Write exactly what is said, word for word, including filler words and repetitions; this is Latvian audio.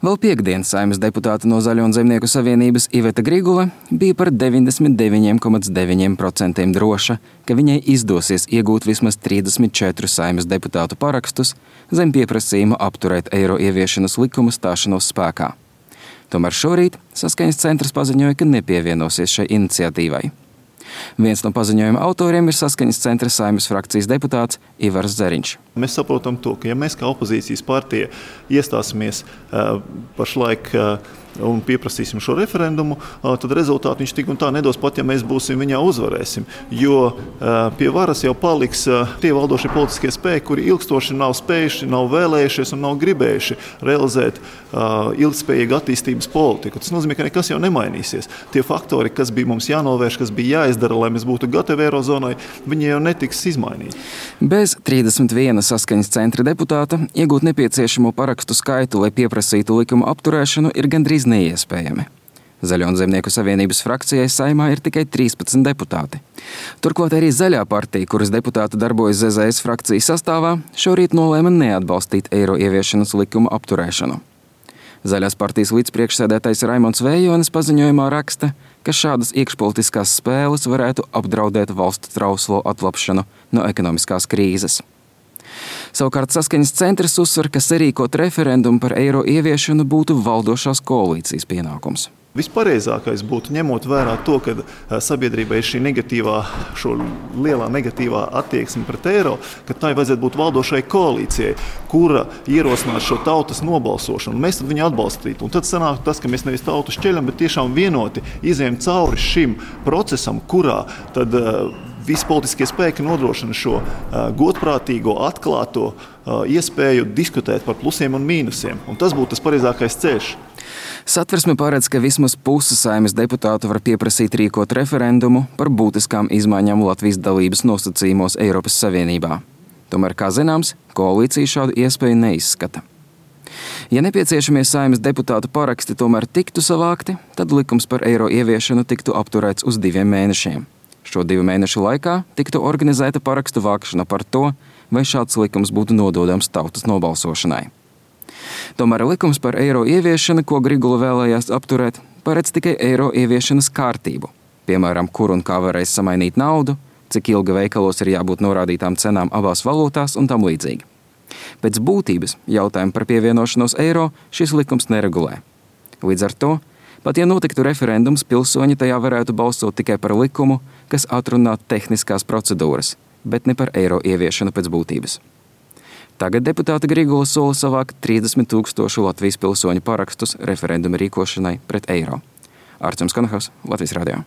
Vēl piekdien Saeimas deputāte no Zaļo un Zemnieku savienības Iveta Grigula bija par deviņdesmit deviņi komats deviņi procenti droša, ka viņai izdosies iegūt vismaz trīsdesmit četrus Saeimas deputātu parakstus zem pieprasījuma apturēt eiro ieviešanas likuma stāšanos spēkā. Tomēr šorīt Saskaņas centrs paziņoja, ka nepievienosies šai iniciatīvai. Viens no paziņojuma autoriem ir Saskaņas centra Saeimas frakcijas deputāts Ivars Zeriņš. Mēs saprotam to, ka ja mēs kā opozīcijas partija iestāsimies uh, pašlaik uh, un pieprasīsim šo referendumu, uh, tad rezultātu viņš tik un tā nedos, pat ja mēs būsim viņā uzvarēsim. Jo uh, pie varas jau paliks uh, tie valdošie politiskie spēki, kuri ilgstoši nav spējuši, nav vēlējušies un nav gribējuši realizēt uh, ilgspējīgu attīstības politiku. Tas nozīmē, ka nekas jau nemainīsies. Tie faktori, kas bija mums jānovērš, kas bija jāizdara, lai mēs būtu gatavi eirozonai, viņi jau netiks izmainīti. Bez trīsdesmit viena Saskaņas centra deputāta iegūt nepieciešamo parakstu skaitu, lai pieprasītu likuma apturēšanu, ir gandrīz neiespējami. Zaļo un Zemnieku savienības frakcijai Saeimā ir tikai trīspadsmit deputāti. Turklāt arī Zaļā partija, kuras deputāti darbojas Z Z S frakcijas sastāvā, šorīt nolēma neatbalstīt eiro ieviešanas likuma apturēšanu. Zaļās partijas līdzpriekšsēdētājs Raimonds Vējonis paziņojumā raksta, ka šādas iekšpolitiskās spēles varētu apdraudēt valsts trauslo atlapšanu no ekonomiskās krīzes. Savukārt Saskaņas centrs uzsver, ka sarīkot referendumu par eiro ieviešanu būtu valdošās koalīcijas pienākums. Vispareizākais būtu ņemot vērā to, ka sabiedrībai ir šī negatīvā, šo lielā negatīvā attieksme pret eiro, ka tai vajadzētu būt valdošai koalīcijai, kura ierosinās šo tautas nobalsošanu. Mēs tad viņu atbalstītu. Un tad sanāk tas, ka mēs nevis tautu šķeļam, bet tiešām vienoti izējam cauri šim procesam, kurā tad visi politiskie spēki nodrošina šo uh, godprātīgo, atklāto uh, iespēju diskutēt par plusiem un mīnusiem. Un tas būtu tas pareizākais ceļš. Satversme paredz, ka vismaz puse Saeimas deputātu var pieprasīt rīkot referendumu par būtiskām izmaiņām Latvijas dalības nosacījumos Eiropas Savienībā. Tomēr, kā zināms, koalīcija šādu iespēju neizskata. Ja nepieciešamie Saeimas deputātu paraksti tomēr tiktu savākti, tad likums par eiro ieviešanu tiktu apturēts uz diviem mēnešiem. Šo divu mēnešu laikā tiktu organizēta parakstu vākšana par to, vai šāds likums būtu nododams tautas nobalsošanai. Tomēr likums par eiro ieviešanu, ko Grigula vēlējās apturēt, paredz tikai eiro ieviešanas kārtību. Piemēram, kur un kā varēs samainīt naudu, cik ilgi veikalos ir jābūt norādītām cenām abās valūtās un tam līdzīgi. Pēc būtības jautājumu par pievienošanos eiro šis likums neregulē. Līdz ar to, pat ja notiktu referendums, pilsoņi tajā varētu balsot tikai par likumu, kas atrunā tehniskās procedūras, bet ne par eiro ieviešanu pēc būtības. Tagad deputāta Grigula sola savākt trīsdesmit tūkstošu Latvijas pilsoņu parakstus referenduma rīkošanai pret eiro. Artjums Konohavs, Latvijas radio.